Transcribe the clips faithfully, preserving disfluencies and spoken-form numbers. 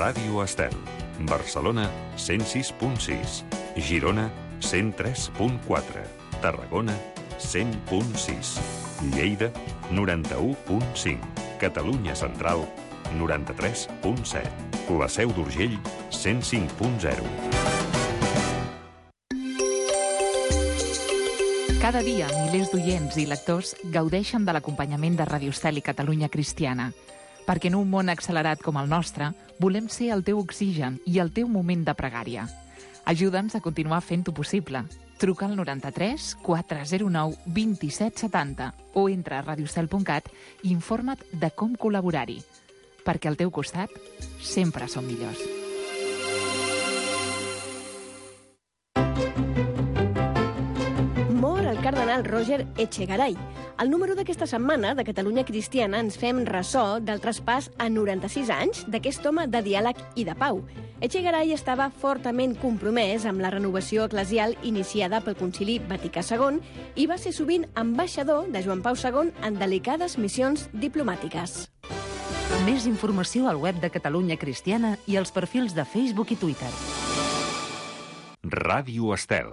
Ràdio Estel. Barcelona, cent sis punt sis. Girona, cent tres punt quatre. Tarragona, cent punt sis. Lleida, noranta-u punt cinc. Catalunya Central, noranta-tres punt set. La Seu d'Urgell, cent cinc punt zero. Cada dia, milers d'oients i lectors gaudeixen de l'acompanyament de Ràdio Estel i Catalunya Cristiana. Perquè en un món accelerat com el nostre, volem ser el teu oxigen i el teu moment de pregària. Ajuda'ns a continuar fent-ho possible. Truca al noranta-tres quatre zero nou vint-i-set setanta o entra a radiostel punt cat i informa't de com col·laborar-hi. Perquè al teu costat sempre som millors. Mor el cardenal Roger Echegaray. Al número d'aquesta setmana de Catalunya Cristiana ens fem ressò del traspàs a noranta-sis anys d'aquest home de diàleg i de pau. Echegaray estava fortament compromès amb la renovació eclesial iniciada pel Concili Vaticà segon i va ser sovint ambaixador de Joan Pau segon en delicades missions diplomàtiques. Més informació al web de Catalunya Cristiana i als perfils de Facebook i Twitter. Ràdio Estel.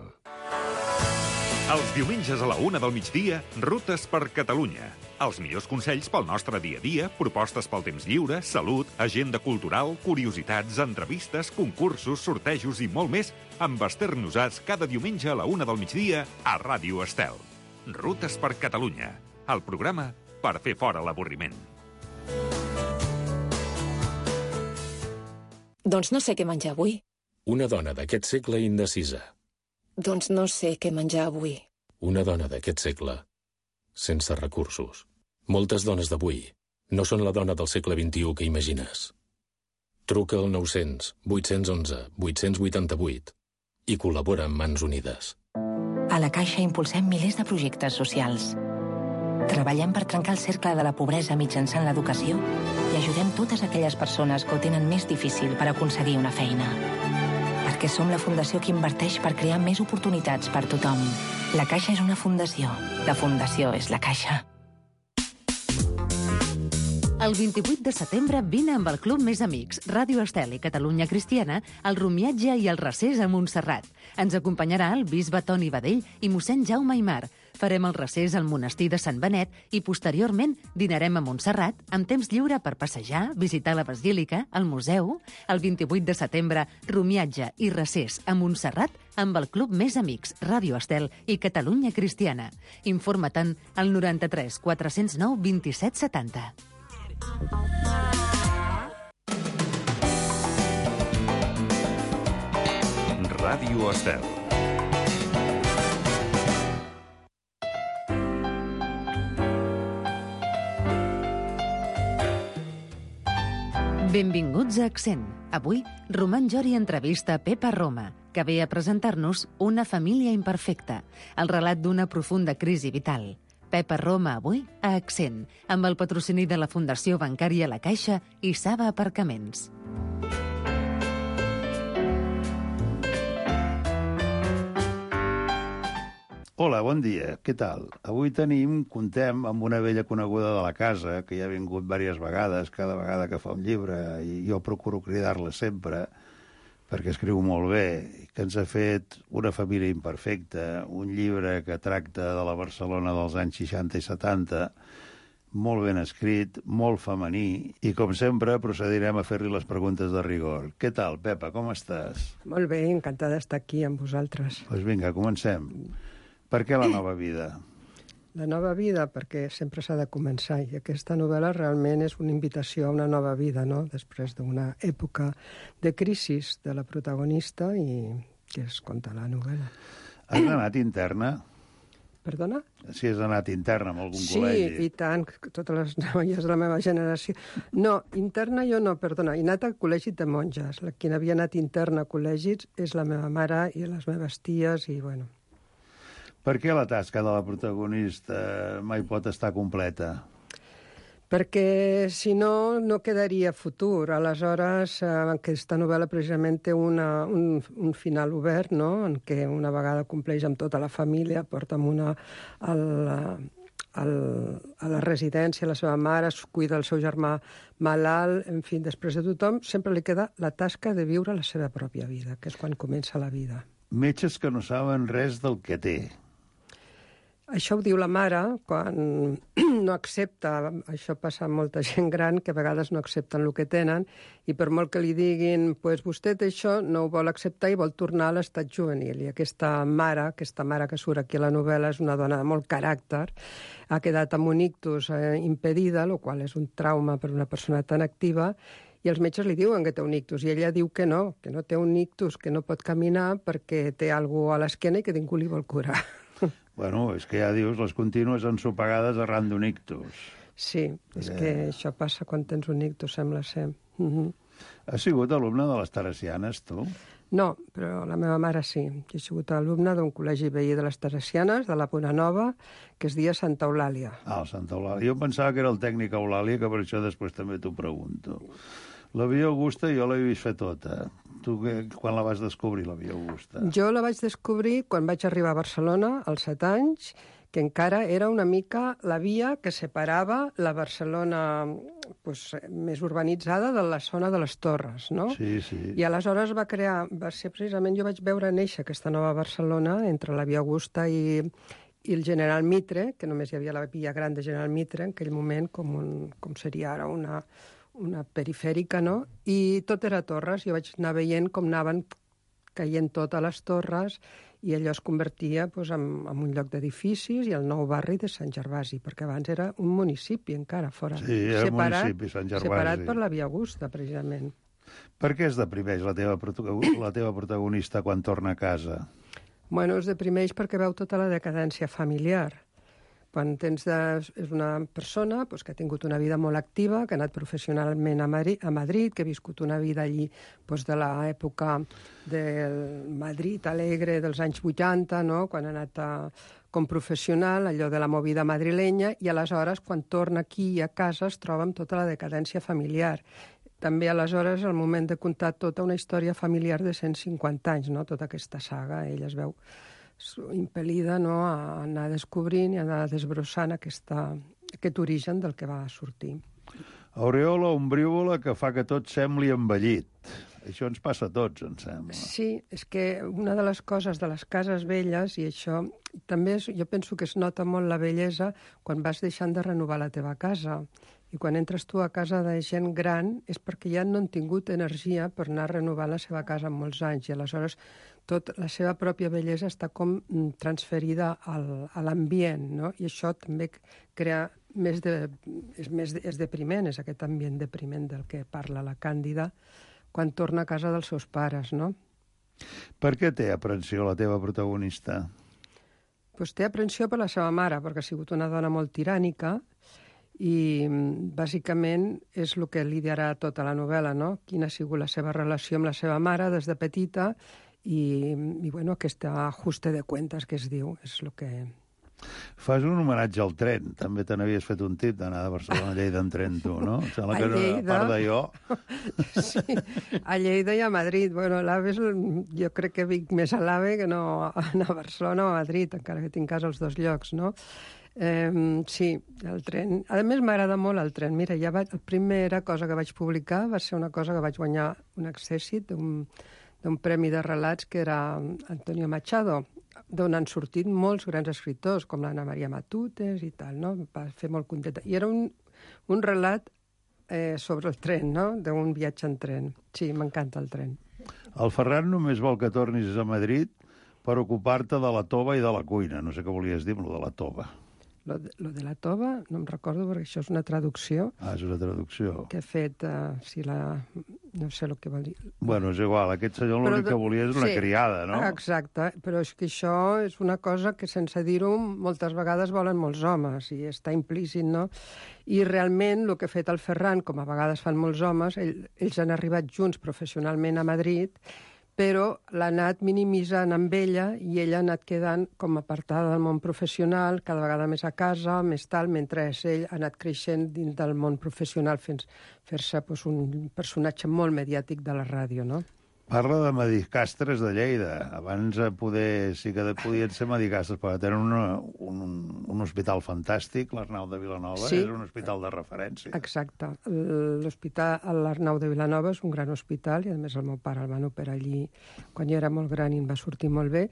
Els diumenges a la una del migdia, Rutes per Catalunya. Els millors consells pel nostre dia a dia, propostes pel temps lliure, salut, agenda cultural, curiositats, entrevistes, concursos, sortejos i molt més amb Esther Nosats cada diumenge a la una del migdia a Ràdio Estel. Rutes per Catalunya, el programa per fer fora l'avorriment. Doncs no sé què menjar avui. Una dona d'aquest segle indecisa. Doncs no sé què menjar avui. Una dona d'aquest segle sense recursos. Moltes dones d'avui no són la dona del segle vint-i-u que imagines. Truca al nou-cents vuit-cents onze vuit-cents vuitanta-vuit i col·labora amb Mans Unides. A la Caixa impulsem milers de projectes socials. Treballem per trencar el cercle de la pobresa mitjançant l'educació i ajudem totes aquelles persones que ho tenen més difícil per aconseguir una feina. Perquè som la fundació que inverteix per crear més oportunitats per tothom. La Caixa és una fundació. La fundació és la Caixa. El vint-i-vuit de setembre vine amb el Club Més Amics, Ràdio Estel i Catalunya Cristiana, al rumiatge i el recés a Montserrat. Ens acompanyarà el bisbe Toni Badell i mossèn Jaume Aimar. Farem el recés al monestir de Sant Benet i posteriorment dinarem a Montserrat amb temps lliure per passejar, visitar la basílica, el museu. El vint-i-vuit de setembre, rumiatge i recés a Montserrat amb el Club Més Amics, Ràdio Estel i Catalunya Cristiana. Informa-te'n al noranta-tres quatre-cents nou vint-i-set setanta. Ràdio Estel. Benvinguts a Accent. Avui, Roman Jori entrevista Pepa Roma, que ve a presentar-nos Una família imperfecta, el relat d'una profunda crisi vital. Pepa Roma avui a Accent, amb el patrocini de la Fundació Bancària La Caixa i Saba Aparcaments. Hola, bon dia, què tal? Avui tenim, contem amb una vella coneguda de la casa, que ja ha vingut diverses vegades, cada vegada que fa un llibre, i jo procuro cridar-la sempre, perquè escriu molt bé, que ens ha fet Una família imperfecta, un llibre que tracta de la Barcelona dels anys seixanta i setanta, molt ben escrit, molt femení, i com sempre procedirem a fer-li les preguntes de rigor. Què tal, Pepa, com estàs? Molt bé, encantada d'estar aquí amb vosaltres. Doncs vinga, comencem. Per què la nova vida? La nova vida, perquè sempre s'ha de començar, i aquesta novel·la realment és una invitació a una nova vida, no?, després d'una època de crisi de la protagonista i que es conta la novel·la. Has anat interna? Perdona? Si has anat interna en algun sí, col·legi. Sí, i tant, totes les noies de la meva generació. No, interna jo no, perdona, he anat al col·legi de monges. La, qui havia anat interna a col·legis és la meva mare i les meves ties, i bueno... Per què la tasca de la protagonista mai pot estar completa? Perquè, si no, no quedaria futur. Aleshores, eh, aquesta novel·la precisament té una, un, un final obert, no?, en què una vegada compleix amb tota la família, porta amb una, el, al, a la residència, la seva mare, es cuida el seu germà malalt, en fi, després de tothom, sempre li queda la tasca de viure la seva pròpia vida, que és quan comença la vida. Metges que no saben res del que té. Això ho diu la mare quan no accepta, això passa amb molta gent gran, que a vegades no accepten el que tenen, i per molt que li diguin, pues vostè té això, no ho vol acceptar i vol tornar a l'estat juvenil. I aquesta mare, aquesta mare que surt aquí a la novel·la, és una dona de molt caràcter, ha quedat amb un ictus eh, impedida, el qual és un trauma per una persona tan activa, i els metges li diuen que té un ictus, i ella diu que no, que no té un ictus, que no pot caminar perquè té alguna cosa a l'esquena i que ningú li vol curar. Bueno, és que ja dius, les contínues ensopegades arran d'un ictus. Sí, és eh... que això passa quan tens un ictus, sembla ser. Uh -huh. Has sigut alumne de les Teresianes, tu? No, però la meva mare sí. Jo he sigut alumne d'un col·legi veí de les Teresianes, de la Bonanova, que es deia Santa Eulàlia. Ah, el Santa Eulàlia. Jo pensava que era el tècnic Eulàlia, que per això després també t'ho pregunto. La Via Augusta jo l'he vist fer tota. Tu que, quan la vas descobrir, la Via Augusta? Jo la vaig descobrir quan vaig arribar a Barcelona, als set anys, que encara era una mica la via que separava la Barcelona pues, més urbanitzada de la zona de les Torres, no? Sí, sí. I aleshores va crear, va ser precisament, jo vaig veure néixer aquesta nova Barcelona entre la Via Augusta i, i el General Mitre, que només hi havia la via gran de General Mitre, en aquell moment, com, un, com seria ara una... una perifèrica, no? I tot era torres. Jo vaig anar veient com anaven caient totes les torres i allò es convertia pues, en, en un lloc d'edificis i el nou barri de Sant Gervasi, perquè abans era un municipi encara fora. Sí, era separat, municipi, Sant Gervasi. Separat per la Via Augusta, precisament. Per què es deprimeix la teva, la teva protagonista quan torna a casa? Bueno, es deprimeix perquè veu tota la decadència familiar. Quan tens de, és una persona pues, que ha tingut una vida molt activa, que ha anat professionalment a Madrid, a Madrid que ha viscut una vida allí pues, de l'època del Madrid alegre dels anys vuitanta, no? Quan ha anat a, com professional, allò de la movida madrilenya, i aleshores, quan torna aquí a casa, es troba amb tota la decadència familiar. També, aleshores, el moment de contar tota una història familiar de cent cinquanta anys, no? Tota aquesta saga, ella es veu impel·lida, no? A anar descobrint i a anar desbrossant aquesta, aquest origen del que va sortir. Aureola ombrívola que fa que tot sembli envellit. Això ens passa a tots, em sembla. Sí, és que una de les coses de les cases velles, i això també és, jo penso que es nota molt la bellesa quan vas deixant de renovar la teva casa. I quan entres tu a casa de gent gran és perquè ja no han tingut energia per anar renovant la seva casa en molts anys, i aleshores tot la seva pròpia bellesa està com transferida al, a l'ambient, no? I això també crea més de... és, més, és depriment, és aquest ambient depriment del que parla la Càndida quan torna a casa dels seus pares, no? Per què té aprensió la teva protagonista? Pues té aprensió per la seva mare, perquè ha sigut una dona molt tirànica i bàsicament és el que liderarà tota la novel·la, no? Quina ha sigut la seva relació amb la seva mare des de petita i, i bueno, aquesta ajuste de cuentas que es diu, és el que... Fas un homenatge al tren. També te n'havies fet un tip d'anar de Barcelona a Lleida en tren, tu, no? Em sembla que Lleida... a part de jo... Sí, a Lleida i a Madrid. Bueno, l'AVE és... jo crec que vinc més a l'AVE que no anar a Barcelona o a Madrid, encara que tinc casa als dos llocs, no? Eh, sí, el tren... A més, m'agrada molt el tren. Mira, ja vaig... la primera cosa que vaig publicar va ser una cosa que vaig guanyar un accèssit d'un d'un premi de relats que era Antonio Machado, d'on han sortit molts grans escriptors, com l'Anna Maria Matutes i tal, no? Va fer molt contenta. I era un, un relat eh, sobre el tren, no? D'un viatge en tren. Sí, m'encanta el tren. El Ferran només vol que tornis a Madrid per ocupar-te de la tova i de la cuina. No sé què volies dir amb lo de la tova. Lo de, lo de la tova no em recordo perquè això és una traducció. Ah, és una traducció. Que he fet, uh, si la... no sé el que vol dir. Bueno, és igual, aquest senyor l'únic que volia és una sí, criada, no? Exacte, però és que això és una cosa que sense dir-ho moltes vegades volen molts homes i està implícit, no? I realment el que ha fet el Ferran, com a vegades fan molts homes, ell, ells han arribat junts professionalment a Madrid, però l'ha anat minimitzant amb ella i ella ha anat quedant com apartada del món professional, cada vegada més a casa, més tal, mentre ell ha anat creixent dins del món professional fins fer-se pues, un personatge molt mediàtic de la ràdio, no? Parla de medicastres de Lleida. Abans poder, sí que podien ser medicastres, però tenen una, un, un hospital fantàstic, l'Arnau de Vilanova, sí. És un hospital de referència. Exacte. L'hospital, l'Arnau de Vilanova és un gran hospital, i a més el meu pare el van operar allí quan jo era molt gran i em va sortir molt bé.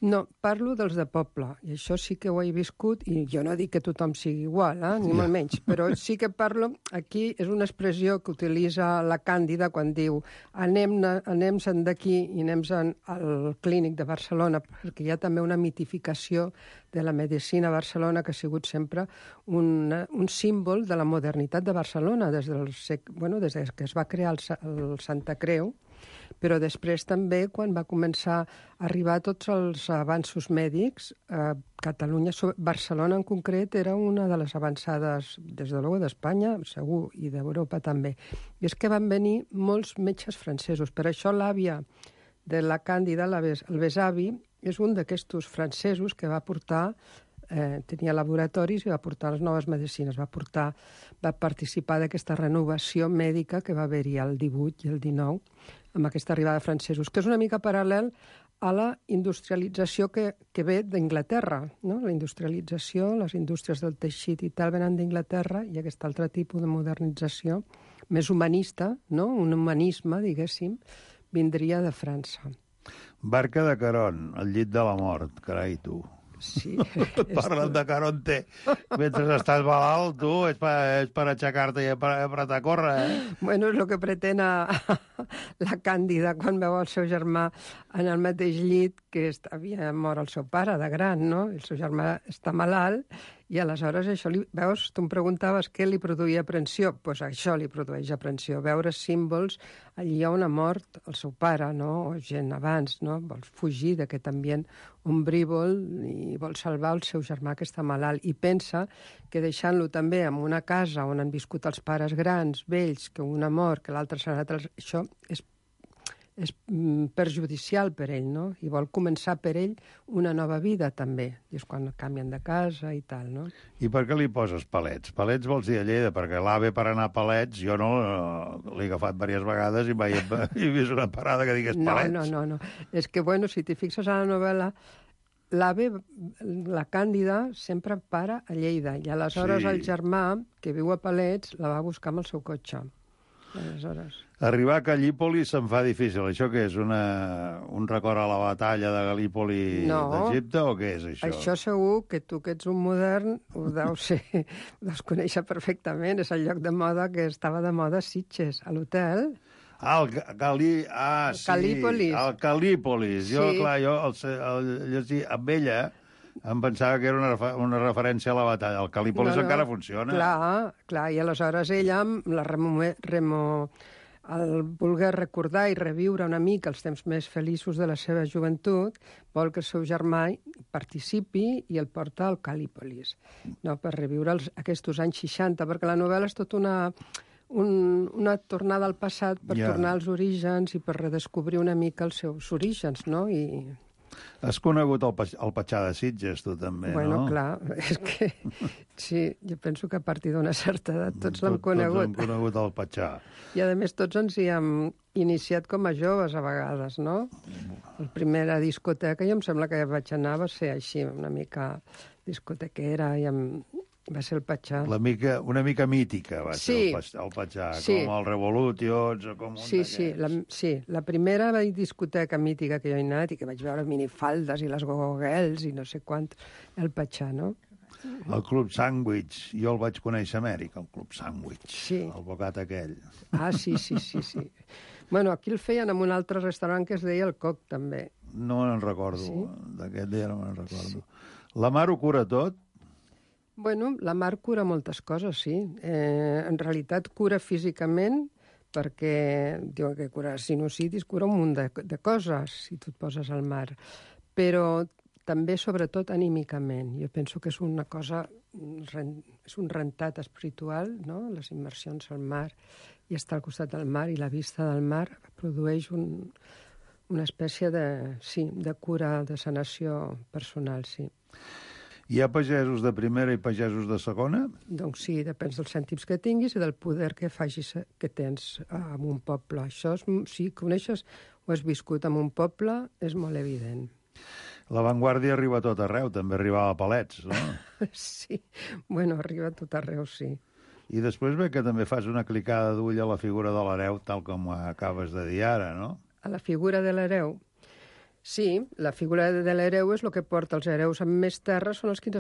No, parlo dels de poble, i això sí que ho he viscut, i jo no dic que tothom sigui igual, eh? Ni molt menys, però sí que parlo, aquí és una expressió que utilitza la Càndida quan diu anem, anem-se'n d'aquí i anem-se'n al Clínic de Barcelona, perquè hi ha també una mitificació de la medicina a Barcelona que ha sigut sempre un, un símbol de la modernitat de Barcelona, des, del sec, bueno, des que es va crear el, el Santa Creu, però després també, quan va començar a arribar tots els avanços mèdics, eh, Catalunya, Barcelona en concret, era una de les avançades, des de l'Eu d'Espanya, segur, i d'Europa també. I és que van venir molts metges francesos. Per això l'àvia de la Càndida, el besavi, és un d'aquests francesos que va portar, eh, tenia laboratoris i va portar les noves medicines, va portar, va participar d'aquesta renovació mèdica que va haver-hi el divuit i el dinou, amb aquesta arribada de francesos, que és una mica paral·lel a la industrialització que, que ve d'Inglaterra, no? La industrialització, les indústries del teixit i tal, venen d'Inglaterra, i aquest altre tipus de modernització, més humanista, no? Un humanisme, diguéssim, vindria de França. Barca de Caron, al llit de la mort, carai, tu. Sí. Parlen de Caronte. Mentre estàs malalt, tu, és per, és per aixecar-te i per, per a córrer, eh? Bueno, és el que pretén a, la Càndida quan veu el seu germà en el mateix llit que havia mort el seu pare de gran, no? El seu germà està malalt i aleshores això li... Veus, tu em preguntaves què li produïa aprensió. Doncs pues això li produeix aprensió, veure símbols allí on ha mort el seu pare, no? O gent abans, no? Vol fugir d'aquest ambient ombrívol i vol salvar el seu germà que està malalt. I pensa que deixant-lo també en una casa on han viscut els pares grans, vells, que un ha mort, que l'altre s'ha anat... Això és és perjudicial per ell, no? I vol començar per ell una nova vida, també. I és quan canvien de casa i tal, no? I per què li poses palets? Palets vols dir a Lleida, perquè l'AVE per anar a palets, jo no l'he agafat diverses vegades i mai he vist una parada que digués palets. No, no, no, no. És que, bueno, si t'hi fixes a la novel·la, l'AVE, la Càndida, sempre para a Lleida, i aleshores sí. El germà, que viu a Palets, la va buscar amb el seu cotxe. Aleshores... Arribar a Gallípoli se'm fa difícil. Això què és? Una, un record a la batalla de Gallípoli no. d'Egipte o què és això? Això segur que tu, que ets un modern, ho deus, ser, ho deus conèixer perfectament. És el lloc de moda que estava de moda a Sitges, a l'hotel. Ah, el Galí... Ah, sí. Calípolis. El Calípolis. Jo, sí. clar, jo el, el, llegir amb ella em pensava que era una, una referència a la batalla. El Calípolis no, no, encara funciona. Clar, clar, i aleshores ella, la remo... remo el voler recordar i reviure una mica els temps més feliços de la seva joventut, vol que el seu germà participi i el porta al Calípolis, no? Per reviure els, aquests anys seixanta, perquè la novel·la és tot una, un, una tornada al passat per yeah. tornar als orígens i per redescobrir una mica els seus orígens, no? I... Has conegut el, el Patxà de Sitges, tu també, bueno, no? Bueno, clar, és que sí, jo penso que a partir d'una certa edat tots l'hem Tot, conegut. Tots hem conegut el Patxà. I a més tots ens hi hem iniciat com a joves a vegades, no? La primera discoteca, jo em sembla que vaig anar, va ser així, una mica discotequera, i amb... va ser el Patxà. La mica, una mica mítica va sí. ser el Patxà, sí. com el Revolutions o com un sí, sí, la, sí, la primera discoteca mítica que jo he anat i que vaig veure minifaldes i les gogogels i no sé quant, el Patxà, no? El Club Sandwich, jo el vaig conèixer a Amèrica, el Club Sandwich, sí. El bocat aquell. Ah, sí, sí, sí, sí. Bueno, aquí el feien en un altre restaurant que es deia El Coc, també. No me'n recordo, sí? D'aquest dia no me'n recordo. Sí. La Mar ho cura tot? Bueno, la Mar cura moltes coses, sí. Eh, en realitat cura físicament perquè diuen que cura sinusitis, cura un munt de, de coses si tu et poses al mar. Però també, sobretot, anímicament. Jo penso que és una cosa, és un rentat espiritual, no? Les immersions al mar i estar al costat del mar i la vista del mar produeix un, una espècie de, sí, de cura, de sanació personal, sí. Hi ha pagesos de primera i pagesos de segona? Doncs sí, depèn dels cèntims que tinguis i del poder que facis, que tens en un poble. Això, és, si coneixes o has viscut en un poble, és molt evident. L'avantguàrdia arriba a tot arreu, també arribava a Palets, no? Sí, bueno, arriba a tot arreu, sí. I després ve que també fas una clicada d'ull a la figura de l'hereu, tal com acabes de dir ara, no? A la figura de l'hereu? Sí, la figura de l'hereu és el que porta els hereus amb més terra, són els que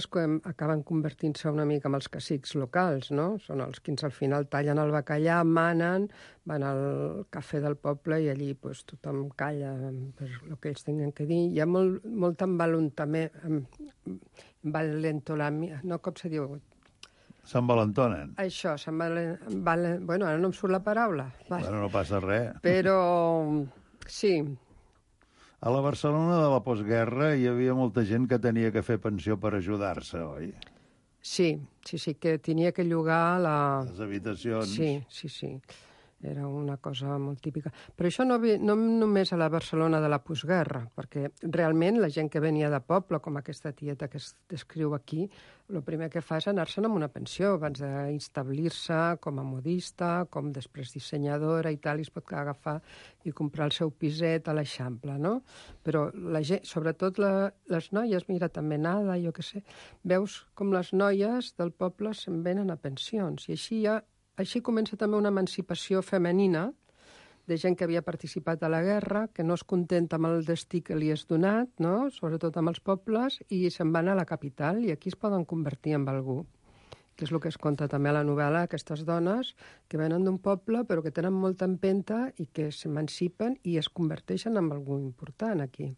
acaben convertint-se una mica amb els cacics locals, no? Són els que al final tallen el bacallà, manen, van al cafè del poble i allí pues, tothom calla per el que ells tenen que dir. Hi ha molt, molt envalentament, envalentolament, no, com se diu? S'envalentonen. Això, s'envalentonen. Bueno, ara no em surt la paraula. Bueno, no passa res. Però, sí. A la Barcelona de la postguerra hi havia molta gent que tenia que fer pensió per ajudar-se, oi? Sí, sí, sí, que tenia que llogar la... Les habitacions. Sí, sí, sí. Era una cosa molt típica. Però això no, no només a la Barcelona de la postguerra, perquè realment la gent que venia de poble, com aquesta tieta que es descriu aquí, el primer que fa és anar-se'n amb una pensió, abans d'instablir-se com a modista, com després dissenyadora i tal, i es pot agafar i comprar el seu piset a l'Eixample, no? Però la gent, sobretot la, les noies, mira, també Nada, jo què sé, veus com les noies del poble se'n venen a pensions, i així ja Així comença també una emancipació femenina de gent que havia participat a la guerra, que no es contenta amb el destí que li és donat, no? Sobretot amb els pobles, i se'n van a la capital i aquí es poden convertir en algú. Que és el que es conta també a la novel·la, aquestes dones que venen d'un poble però que tenen molta empenta i que s'emancipen i es converteixen en algú important aquí.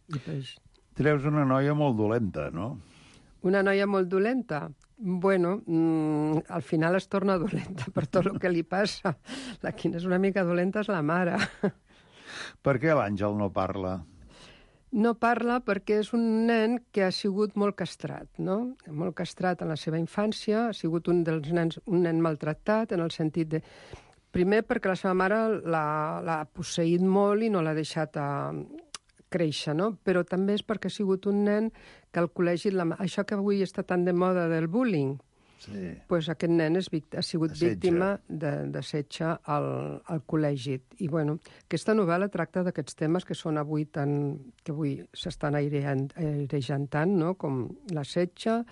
I pues... Treus una noia molt dolenta, no? Una noia molt dolenta? Bueno, mmm, al final es torna dolenta per tot el que li passa. La que és una mica dolenta és la mare. Per què l'Àngel no parla? No parla perquè és un nen que ha sigut molt castrat, no? Molt castrat en la seva infància, ha sigut un dels nens, un nen maltractat, en el sentit de... Primer perquè la seva mare l'ha posseït molt i no l'ha deixat a... créixer, no? Però també és perquè ha sigut un nen que al col·legi... La... Això que avui està tan de moda del bullying, sí. Pues aquest nen és, ha sigut Assetge. víctima d'assetge al, al col·legi. I, bueno, aquesta novel·la tracta d'aquests temes que són avui tan... que avui s'estan airejant tant, no? Com l'assetge,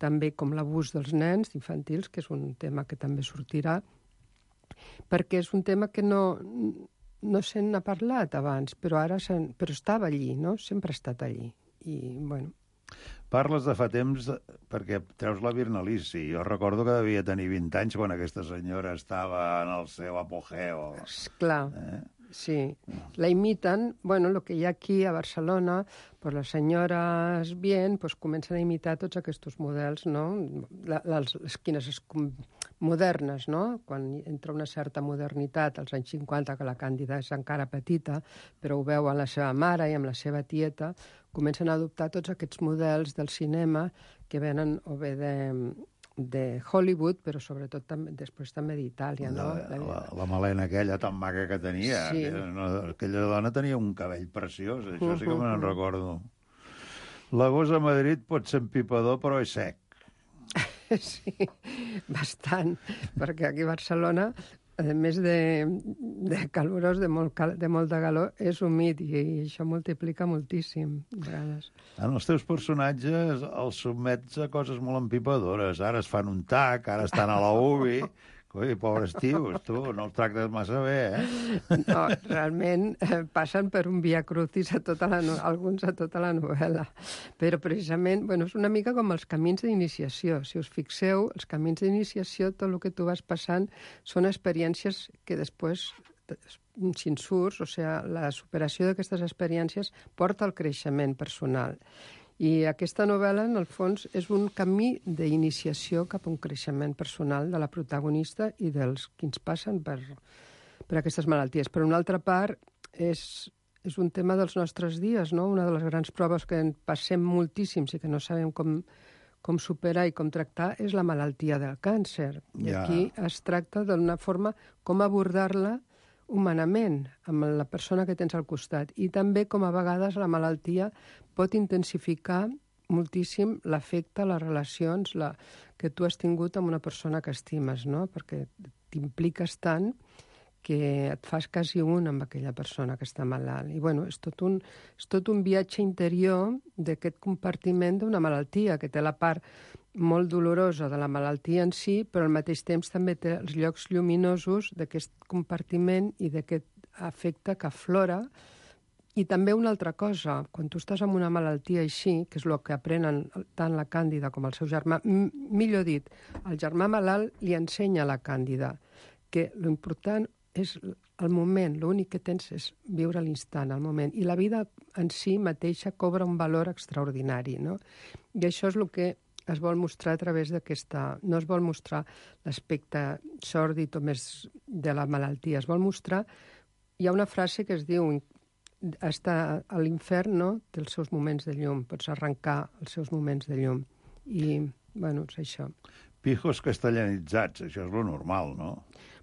també com l'abús dels nens infantils, que és un tema que també sortirà, perquè és un tema que no... no se n'ha parlat abans, però ara però estava allí, no? Sempre ha estat allí. I, bueno... Parles de fa temps perquè treus la Virnalici. Jo recordo que devia tenir vint anys quan aquesta senyora estava en el seu apogeo. Esclar, eh? Sí. La imiten, bueno, el que hi ha aquí a Barcelona, pues les senyores bien, pues comencen a imitar tots aquests models, no? La, les esquines modernes, no? Quan entra una certa modernitat, als anys cinquanta, que la Càndida és encara petita, però ho veu amb la seva mare i amb la seva tieta, comencen a adoptar tots aquests models del cinema que venen o bé de... de Hollywood, però sobretot també, després també d'Itàlia, no? La, la, la melena aquella tan maca que tenia. Sí. Aquella, no, aquella dona tenia un cabell preciós, això sí que me n'en recordo. L'agost a Madrid pot ser empipador, però és sec. Sí, bastant, perquè aquí a Barcelona, a més de, de calorós, de molt, cal, de molt de calor, és humit i, i això multiplica moltíssim, a vegades. En els teus personatges els sotmets a coses molt empipadores. Ara es fan un tac, ara estan a la U B I... Coi, pobres tios, tu, no els tractes massa bé, eh? No, realment eh, passen per un via crucis a tota la no... alguns a tota la novel·la. Però precisament, bueno, és una mica com els camins d'iniciació. Si us fixeu, els camins d'iniciació, tot el que tu vas passant, són experiències que després, si en surts, o sigui, la superació d'aquestes experiències porta al creixement personal. I aquesta novel·la, en el fons, és un camí d'iniciació cap a un creixement personal de la protagonista i dels que ens passen per, per aquestes malalties. Per una altra part, és, és un tema dels nostres dies, no? Una de les grans proves que en passem moltíssims i que no sabem com, com superar i com tractar és la malaltia del càncer. I Ja. aquí es tracta d'una forma com abordar-la humanament, amb la persona que tens al costat. I també com a vegades la malaltia pot intensificar moltíssim l'afecte, les relacions la, que tu has tingut amb una persona que estimes, no? Perquè t'impliques tant que et fas quasi un amb aquella persona que està malalt. I, bueno, és tot un, és tot un viatge interior d'aquest compartiment d'una malaltia, que té la part molt dolorosa de la malaltia en si, però al mateix temps també té els llocs lluminosos d'aquest compartiment i d'aquest afecte que aflora. I també una altra cosa, quan tu estàs amb una malaltia així, que és el que aprenen tant la Càndida com el seu germà, millor dit, el germà malalt li ensenya a la Càndida que l'important és el moment, l'únic que tens és viure l'instant, el moment, i la vida en si mateixa cobra un valor extraordinari, no? I això és el que es vol mostrar a través d'aquesta... No es vol mostrar l'aspecte sòrdid o més de la malaltia, es vol mostrar... Hi ha una frase que es diu estar a l'infern, no?, té els seus moments de llum, pots arrencar els seus moments de llum. I, bueno, és això. Pijos castellanitzats, això és lo normal, no?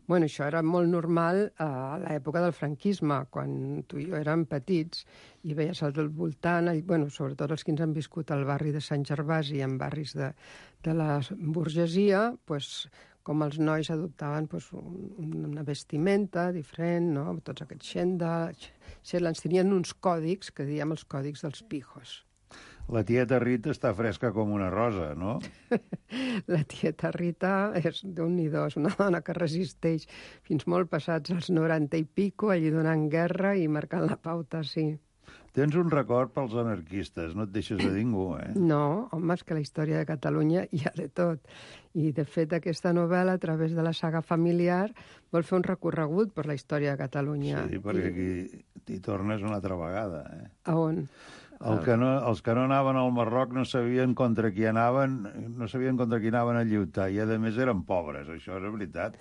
Bueno, això era molt normal a l'època del franquisme, quan tu i jo érem petits i veies al del voltant, bueno, sobretot els que ens han viscut al barri de Sant Gervasi i en barris de, de la burgesia, pues, com els nois adoptaven pues, una vestimenta diferent, no? Tots aquests xendals, ens tenien uns còdics, que diem els còdics dels pijos. La tieta Rita està fresca com una rosa, no? La tieta Rita és d'un-i-do, és una dona que resisteix fins molt passats els noranta i pico, allí donant guerra i marcant la pauta, sí. Tens un record pels anarquistes, no et deixes de ningú, eh? No, home, és que la història de Catalunya hi ha de tot. I, de fet, aquesta novel·la, a través de la saga familiar, vol fer un recorregut per la història de Catalunya. Sí, perquè aquí t'hi tornes una altra vegada, eh? A on? El que no, els que no anaven al Marroc no sabien contra qui anaven, no sabien contra qui anaven a lluitar, i a més eren pobres, això és veritat.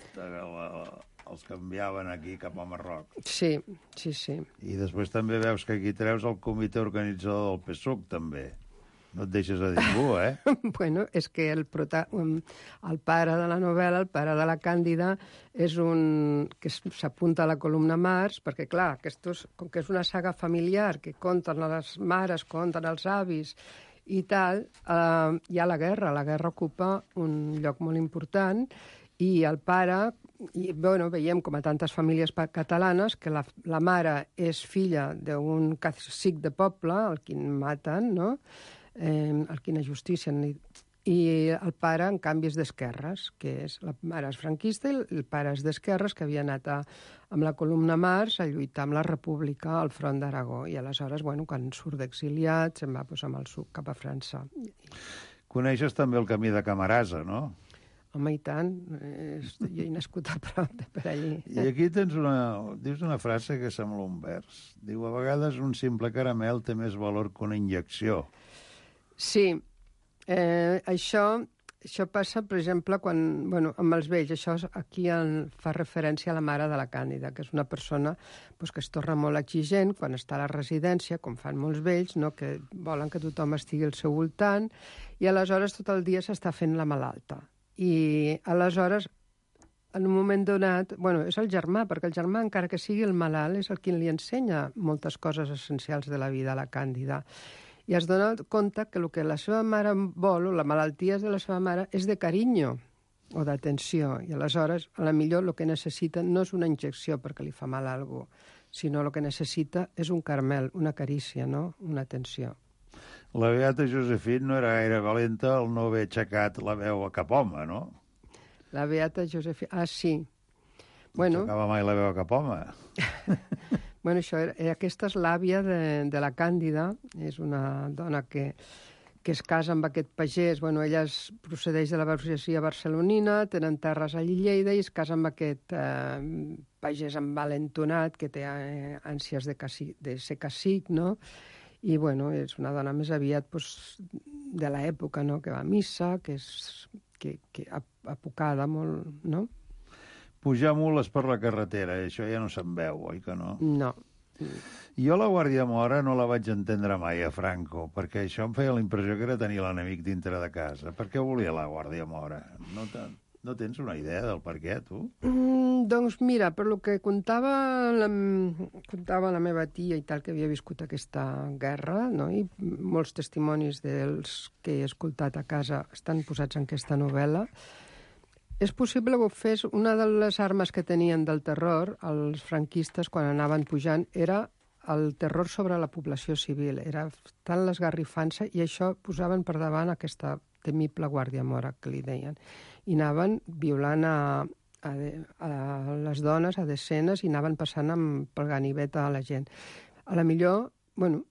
Els canviaven aquí cap al Marroc. Sí, sí, sí. I després també veus que aquí treus el comitè organitzador del P S U C, també. No et deixes a ningú, eh? Bueno, és que el, prota... el pare de la novel·la, el pare de la Càndida, és un... que s'apunta a la columna Mars, perquè, clar, és... com que és una saga familiar, que compten a les mares, compten als avis i tal, eh, hi ha la guerra. La guerra ocupa un lloc molt important i el pare... I, bueno, veiem, com a tantes famílies catalanes, que la, la mare és filla d'un cacic de poble, el quin maten, no?, eh, el quin ajusticien. I, i el pare, en canvi, és d'esquerres, que és, la mare és franquista i el pare és d'esquerres, que havia anat a, amb la columna Mars a lluitar amb la República al front d'Aragó. I aleshores, bueno, quan surt d'exiliat, se'n va posar amb el suc cap a França. Coneixes també el camí de Camarasa, no? Home, i tant. Jo he nascut a prop de per allí. I aquí tens una... dius una frase que sembla un vers. Diu, a vegades un simple caramel té més valor que una injecció. Sí. Eh, això, això passa, per exemple, quan, bueno, amb els vells. Això aquí en, fa referència a la mare de la Càndida, que és una persona pues, que es torna molt exigent quan està a la residència, com fan molts vells, no? Que volen que tothom estigui al seu voltant, i aleshores tot el dia s'està fent la malalta. I aleshores, en un moment donat... Bueno, és el germà, perquè el germà, encara que sigui el malalt, és el qui li ensenya moltes coses essencials de la vida a la Càndida. I es dona compte que el que la seva mare vol, o la malaltia de la seva mare, és de carinyo o d'atenció. I aleshores, a la millor, el que necessita no és una injecció perquè li fa mal a algú, sinó el que necessita és un caramel, una carícia, no?, una atenció. La beata Josefina no era gaire valenta al no haver aixecat la veu a cap home, no? La beata Josefina... Ah, sí. Bueno... No aixecava mai la veu a cap home. Bueno, això, aquesta és l'àvia de, de la Càndida, és una dona que, que es casa amb aquest pagès. Bueno, ella es procedeix de la burgesia barcelonina, tenen terres a Lleida i es casa amb aquest eh, pagès envalentonat que té eh, ànsies de, cacic, de ser cacic, no?, i, bueno, és una dona més aviat pues, de l'època, no?, que va a missa, que és que, que apocada molt, no? Pujar mules per la carretera, això ja no se'n veu, oi que no? No. Jo la Guàrdia Mora no la vaig entendre mai a Franco, perquè això em feia la impressió que era tenir l'enemic dintre de casa. Per què volia la Guàrdia Mora? No tant... No tens una idea del per què, tu? Mm, doncs mira, per lo que contava la, contava la meva tia i tal, que havia viscut aquesta guerra, no? I molts testimonis dels que he escoltat a casa estan posats en aquesta novel·la, és possible que ho fes. Una de les armes que tenien del terror els franquistes quan anaven pujant era el terror sobre la població civil. Era tant l'esgarrifança i això posaven per davant aquesta temible guàrdia mora, que li deien. I anaven violant a, a, a les dones, a decenes, i anaven passant amb, pel ganivet a la gent. A la millor, bueno,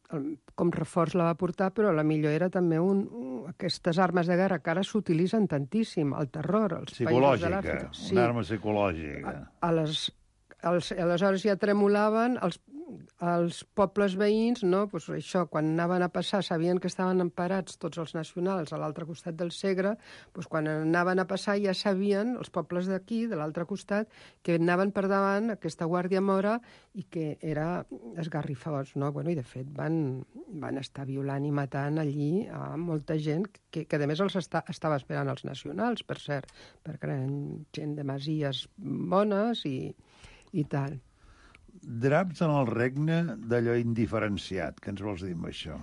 com reforç la va portar, però a la millor era també un, un, aquestes armes de guerra que ara s'utilitzen tantíssim, el terror, els països de l'Àfrica. Sí. Una arma psicològica. A, a les, als, aleshores ja tremolaven els els pobles veïns, no? Pues això, quan anaven a passar, sabien que estaven emparats tots els nacionals a l'altre costat del Segre, pues quan anaven a passar ja sabien, els pobles d'aquí, de l'altre costat, que anaven per davant aquesta guàrdia mora i que era esgarrifós, no? Bueno, i de fet van, van estar violant i matant allí a molta gent que, que a més els està, estava esperant els nacionals, per cert, perquè eren gent de masies bones i, i tal. Draps en el regne d'allò indiferenciat. Què ens vols dir amb això?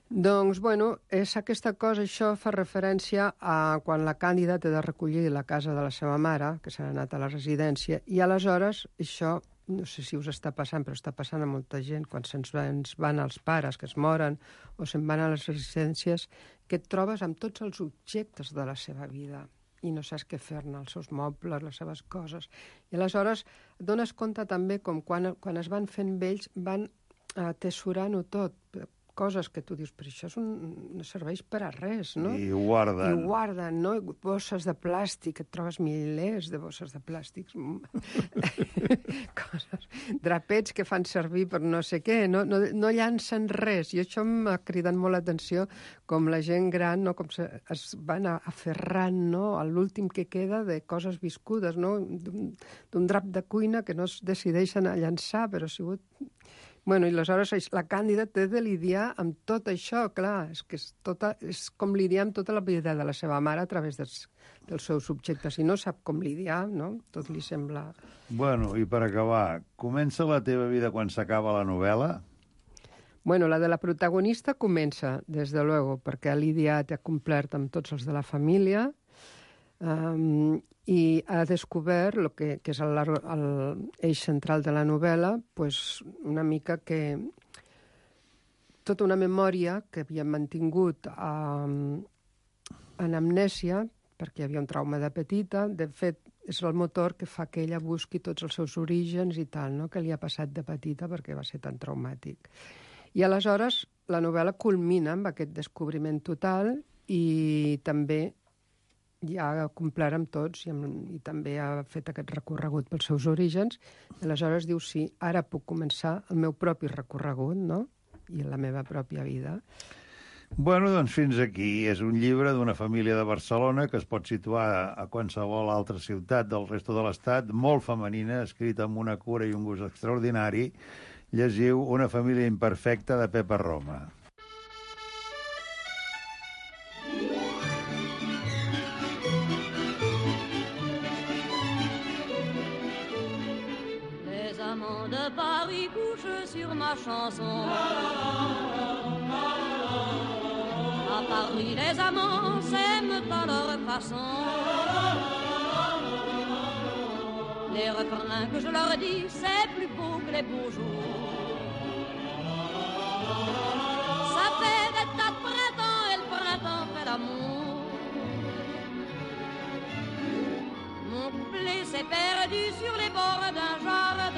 Doncs, bueno, és aquesta cosa, això fa referència a quan la Càndida té de recollir la casa de la seva mare, que s'ha anat a la residència, i aleshores això, no sé si us està passant, però està passant a molta gent, quan se'ns van els pares, que es moren, o se'n van a les residències, que et trobes amb tots els objectes de la seva vida i no saps què fer-ne, els seus mobles, les seves coses. I aleshores et dones compte també com quan, quan es van fent vells van atesorant-ho tot, coses que tu dius, però això és un, no serveix per a res, no? I ho guarden. I ho guarden, no? Bosses de plàstic, et trobes milers de bosses de plàstics. Coses, drapets que fan servir per no sé què, no, no, no llancen res. I això m'ha cridat molt l'atenció, com la gent gran, no? Com se, es van aferrant, no? A l'últim que queda de coses viscudes, no? D'un drap de cuina que no es decideixen a llançar, però ha sigut... Bueno, i aleshores la Càndida té de lidiar amb tot això, clar, és que és, tota, és com lidiar amb tota la vida de la seva mare a través dels, dels seus subjectes. I no sap com lidiar, no? Tot li sembla... Bueno, i per acabar, comença la teva vida quan s'acaba la novel·la? Bueno, la de la protagonista comença, des de luego, perquè ha lidiat i ha complert amb tots els de la família, um, i ha descobert, lo que, que és l'eix central de la novel·la, pues, una mica que tota una memòria que havia mantingut um, en amnèsia, perquè hi havia un trauma de petita, de fet, és el motor que fa que ella busqui tots els seus orígens i tal, no? Que li ha passat de petita perquè va ser tan traumàtic. I aleshores la novel·la culmina amb aquest descobriment total i també ja ha complert amb tots i, amb, i també ha fet aquest recorregut pels seus orígens. I aleshores diu, sí, ara puc començar el meu propi recorregut, no? I la meva pròpia vida. Bueno, doncs fins aquí. És un llibre d'una família de Barcelona que es pot situar a qualsevol altra ciutat del resto de l'Estat, molt femenina, escrita amb una cura i un gust extraordinari. Llegiu Una família imperfecta de Pepa Roma. Les amants de Paris couchent sur ma chanson. À Paris, les amants s'aiment à leur façon. Les refrains que je leur dis, c'est plus beau que les beaux jours. Ça fait des tas de printemps et le printemps fait l'amour. Mon couplet s'est perdu sur les bords d'un jardin.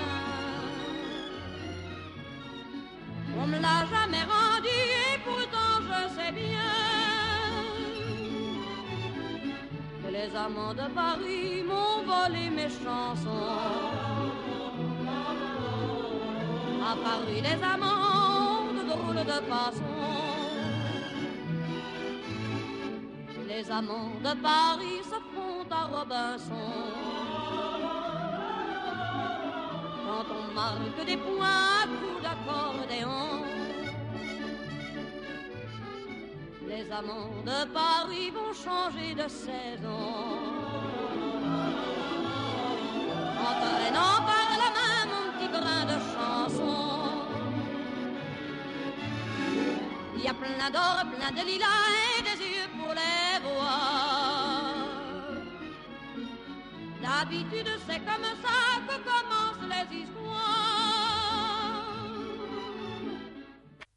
On me l'a jamais rendu et pourtant je sais bien que les amants de Paris m'ont volé mes chansons. À Paris les amants ont de drôles de façons. Les amants de Paris se font à Robinson. Quand on marque des points à coups d'accordéon. Les amants de Paris vont changer de saison. en traînant par la main mon petit brin de chanson. Il y a plein d'or, plein de lilas et des yeux pour les voir. D'habitude c'est comme ça que commencent les histoires.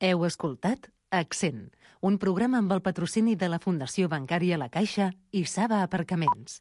Heu escoltat Accent, un programa amb el patrocini de la Fundació Bancària La Caixa i Saba Aparcaments.